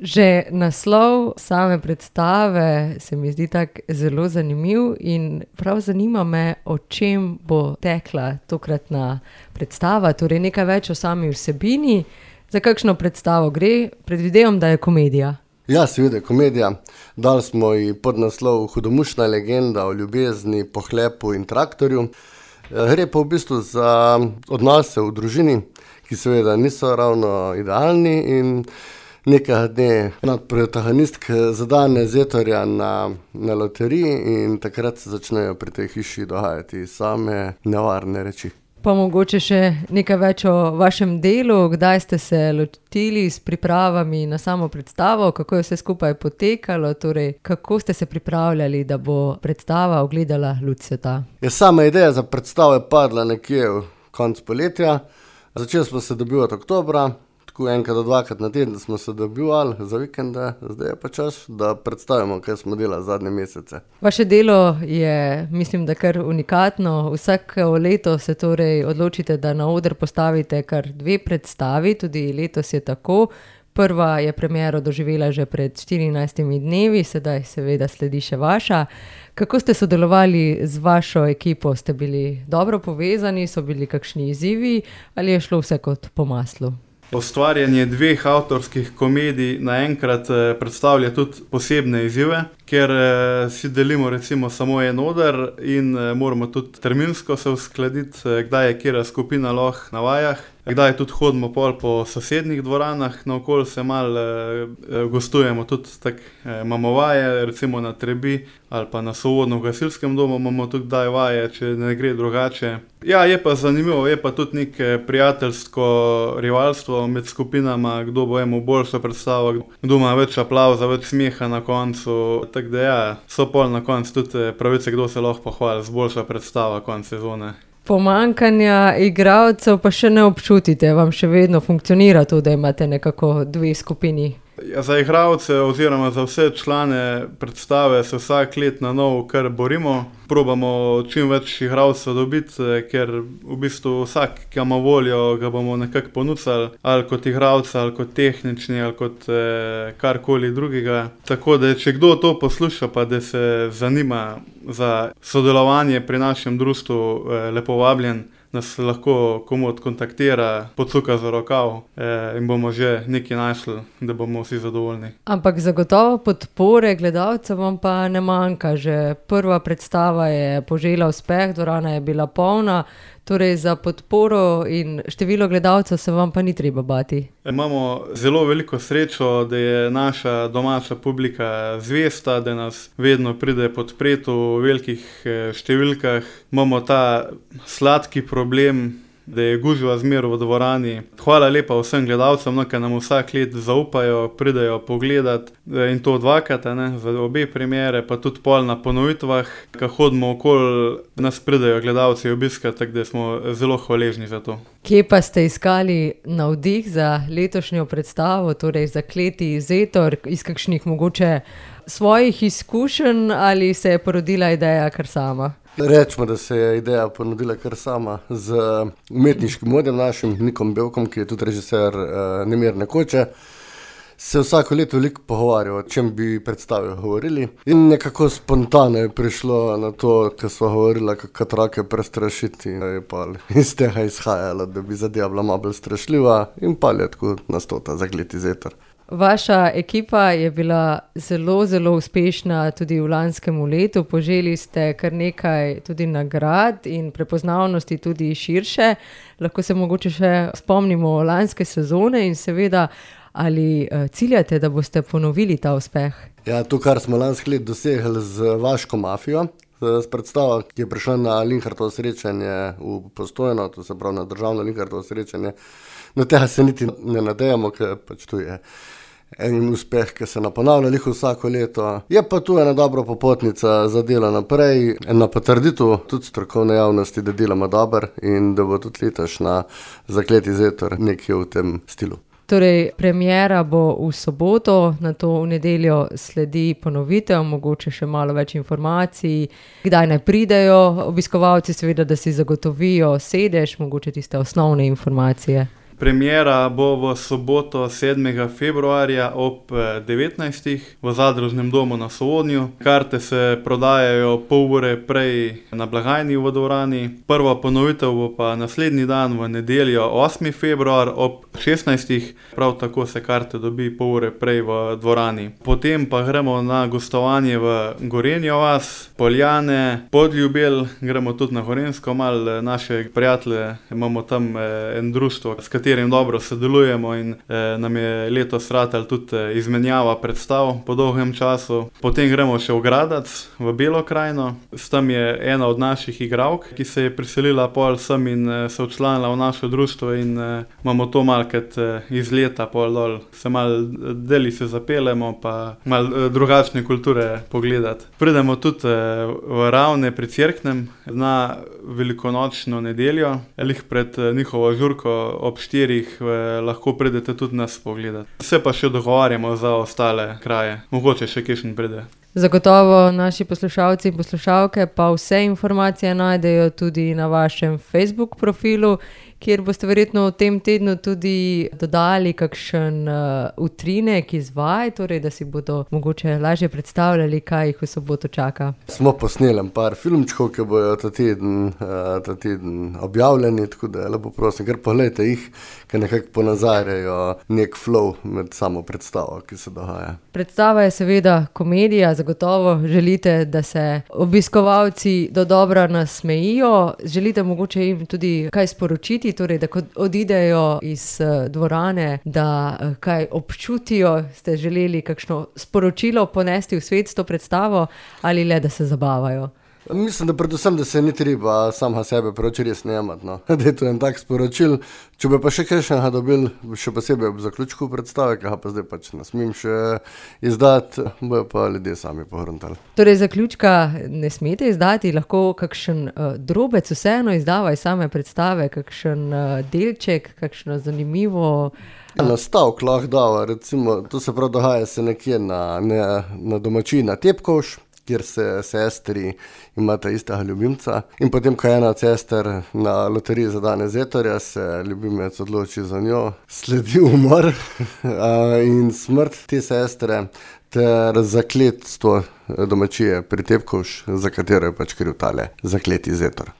Že naslov same predstave se mi zdi tak zelo zanimiv in prav zanima me, o čem bo tekla tokratna predstava, torej nekaj več o sami vsebini. Za kakšno predstavo gre? Predvidevam, da je komedija. Ja, seveda je komedija. Dali smo ji podnaslov Hudomušna legenda o ljubezni, pohlepu in traktorju. Gre pa v bistvu za odnose v družini, ki seveda niso ravno idealni, in nekaj dne protagonistk zadane Zetorja na loteriji in takrat se začnejo pri tej hiši dogajati same nevarne reči. Pa mogoče še nekaj več o vašem delu, kdaj ste se lotili s pripravami na samo predstavo, kako je vse skupaj potekalo, torej kako ste se pripravljali, da bo predstava ugledala luč sveta? Sama ideja za predstavo je padla nekje v konec poletja. Začeli smo se dobivati oktobra, tako enkrat do dvakrat na teden smo se dobivali za vikende, zdaj je pa čas, da predstavimo, kaj smo delali zadnje mesece. Vaše delo je, mislim, da kar unikatno. Vsako leto se torej odločite, da na oder postavite kar 2 predstavi, tudi letos je tako. Prva je premiero doživela že pred 14 dnevi, sedaj seveda sledi še vaša. Kako ste sodelovali z vašo ekipo? Ste bili dobro povezani, so bili kakšni izzivi ali je šlo vse kot po maslu? Ustvarjanje 2 avtorskih komedij naenkrat predstavlja tudi posebne izzive, ker si delimo recimo samo en oder in moramo tudi terminsko se uskladiti, kdaj je katera skupina lahko na vajah, kdaj tudi hodimo pol po sosednjih dvoranah, naokoli se malo gostujemo tudi tako, imamo vaje, recimo na Trebi ali pa na Sovodno v gasilskem domu imamo tudi kdaj vaje, če ne gre drugače. Ja, je pa zanimivo, je pa tudi neko prijateljsko rivalstvo med skupinama, kdo bo imel boljšo predstavo, kdo ima več aplavza, več smeha na koncu. Tako da ja, so pol na koncu tudi pravice, kdo se lahko pohvali z boljšo predstavo konec sezone. Pomanjkanja igralcev pa še ne občutite, vam še vedno funkcionira to, da imate nekako 2 skupini? Ja, za igralce oziroma za vse člane predstave se vsak let na novo kar borimo. Probamo čim več igralcev dobiti, ker v bistvu vsak, ki ima voljo, ga bomo nekako ponudili, ali kot igralca, ali kot tehnični, ali kot karkoli drugega. Tako da, če kdo to posluša, pa da se zanima za sodelovanje pri našem društvu, lepo vabljen, nas lahko komot kontaktira, pocuka za rokav in bomo že nekaj našli, da bomo vsi zadovoljni. Ampak zagotovo podpore gledalcev vam pa ne manjka. Že prva predstava je požela uspeh, dvorana je bila polna, torej za podporo in število gledalcev se vam pa ni treba bati. Imamo zelo veliko srečo, da je naša domača publika zvesta, da nas vedno pride podpreti v velikih številkah. Imamo ta sladki problem, da je gužva zmer v dvorani. Hvala lepa vsem gledalcem, ki nam vsak let zaupajo, pridejo pogledat in to 2-krat, za obe premiere, pa tudi pol na ponovitvah, ko hodimo okoli, nas pridejo gledalci obiskati, tako da smo zelo hvaležni za to. Kje pa ste iskali navdih za letošnjo predstavo, torej Zakleti Zetor, iz kakšnih mogoče svojih izkušenj ali se je porodila ideja kar sama? Rečemo, da se je ideja ponudila kar sama z umetniškim vodjem našim, Nikom Belkom, ki je tudi režiser Nemirne koče. Se vsako leto veliko pogovarjal, o čem bi predstavil govorili. In nekako spontano je prišlo na to, ko smo govorili, kako otroke prestrašiti. Je pa iz tega izhajalo, da bi zadeva bila malo bolj strašljiva in pa je tako nastal ta Zakleti Zetor. Vaša ekipa je bila zelo, zelo uspešna tudi v lanskem letu. Poželi ste kar nekaj tudi nagrad in prepoznavnosti tudi širše. Lahko se mogoče še spomnimo lanske sezone in seveda, ali ciljate, da boste ponovili ta uspeh? Ja, to, kar smo lansko let dosegli z Vaško mafijo, s predstavo, ki je prišla na Linhartovo srečanje v Postojno, to se pravi na državno Linhartovo srečanje. No, tega se niti ne nadejamo, ker pač tu je en uspeh, ki se ponavlja vsako leto. Je pa tu ena dobra popotnica za delo naprej, ena potrditev tudi strokovne javnosti, da delamo dobro in da bo tudi letošnja Zakleti Zetor nekje v tem stilu. Torej, premiera bo v soboto, nato v nedeljo sledi ponovitev, mogoče še malo več informacij, kdaj naj pridejo obiskovalci, seveda, da si zagotovijo sedež, mogoče tiste osnovne informacije. Premiera bo v soboto 7. februarja ob 19. v Zadružnem domu na Sovodnju. Karte se prodajajo pol ure prej na blagajni v dvorani. Prva ponovitev bo pa naslednji dan v nedeljo 8. februar ob 16. Prav tako se karte dobi pol ure prej v dvorani. Potem pa gremo na gostovanje v Gorenjo vas, Poljane, Podljubelj, gremo tudi na Gorenjsko, malo naše prijatelje, imamo tam en društvo, s katerim dobro sodelujemo in nam je letos ratal tudi izmenjava predstav po dolgem času. Potem gremo še v Gradac, v Belo krajino, tam je ena od naših igralk, ki se je priselila pol sem in se včlanila v naše društvo in imamo to malkrat iz leta pol dol, se malo deli se zapelemo, pa malo drugačne kulture pogledati. Pridemo tudi v Ravne pri Cerknem na velikonočno nedeljo, lih pred njihovo žurko ob 4 lahko pridete tudi nas pogledati. Se pa še dogovarjamo za ostale kraje, mogoče še kakšen pride. Zagotovo naši poslušalci in poslušalke pa vse informacije najdejo tudi na vašem Facebook profilu, kjer boste verjetno v tem tednu tudi dodali kakšen utrinek iz vaj, torej da si bodo mogoče lažje predstavljali, kaj jih v soboto čaka. Smo posneli par filmčkov, ki bojo ta teden objavljeni, tako da lepo prosim, kar pogledajte jih, ki nekako ponazarjajo nek flow med samo predstavo, ki se dogaja. Predstava je seveda komedija, zagotovo želite, da se obiskovalci dodobra nasmejijo, želite mogoče jim tudi kaj sporočiti, torej da ko odidejo iz dvorane, da kaj občutijo, ste želeli kakšno sporočilo ponesti v svet s to predstavo ali le, da se zabavajo? Mislim, da predvsem, da se ni treba samega sebe preveč resno jemati, no. Da je to en tak sporočil. Če bi pa še kakšnega dobili, še posebej ob zaključku predstave, ki ga pa zdaj pač ne smem še izdati, bojo pa ljudje sami pogruntali. Torej zaključka ne smete izdati, lahko kakšen drobec vseeno izdava iz same predstave, kakšen delček, kakšno zanimivo... Nastavek lahko dava, recimo, to se prav dogaja se nekje na domačiji na Tepkovš, kjer se sestri imata istega ljubimca in potem, ko je ena od sester na loteriji za dane Zetorja, se ljubimec odloči za njo, sledi umor in smrt te sestre ter zakletstvo domačije pri Tepkovš, za katero je pač kriv tale zakleti Zetor.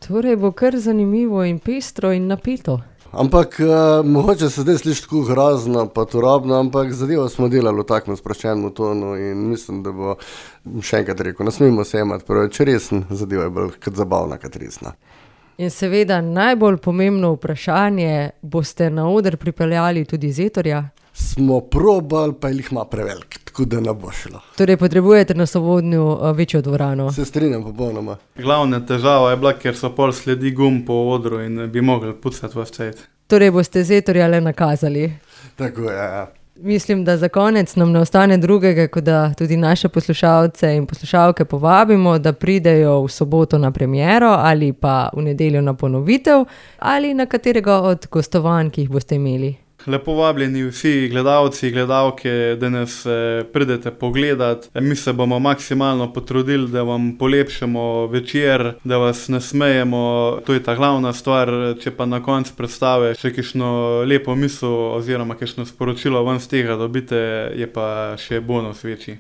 Torej bo kar zanimivo in pestro in napeto. Ampak mogoče se zdaj sliši tako grozno pa turobno, ampak zadevo smo delali v takem sproščenem tonu in mislim, da bo še enkrat rekel, ne smemo se jemati preveč resen, zadeva je bolj kot zabavna, kot resna. In seveda najbolj pomembno vprašanje, boste na oder pripeljali tudi Zetorja? Smo probali, pa jih ima prevelik, tako da ne bo šlo. Torej potrebujete na Sovodnju večjo dvorano? Se strinjam popolnoma. Glavna težava je bila, ker so pol sledi gum po odru in bi mogli pucati vas cajt. Torej boste Zetorja le nakazali? Tako je, ja. Mislim, da za konec nam ne ostane drugega, kot da tudi naše poslušalce in poslušalke povabimo, da pridejo v soboto na premiero ali pa v nedeljo na ponovitev ali na katerega od gostovanj, ki jih boste imeli. Lepo vabljeni vsi gledalci, gledalke, da nas pridete pogledat. Mi se bomo maksimalno potrudili, da vam polepšamo večer, da vas nasmejemo. To je ta glavna stvar, če pa na koncu predstave še kakšno lepo misel oziroma kakšno sporočilo ven z tega dobite, je pa še bonus večji.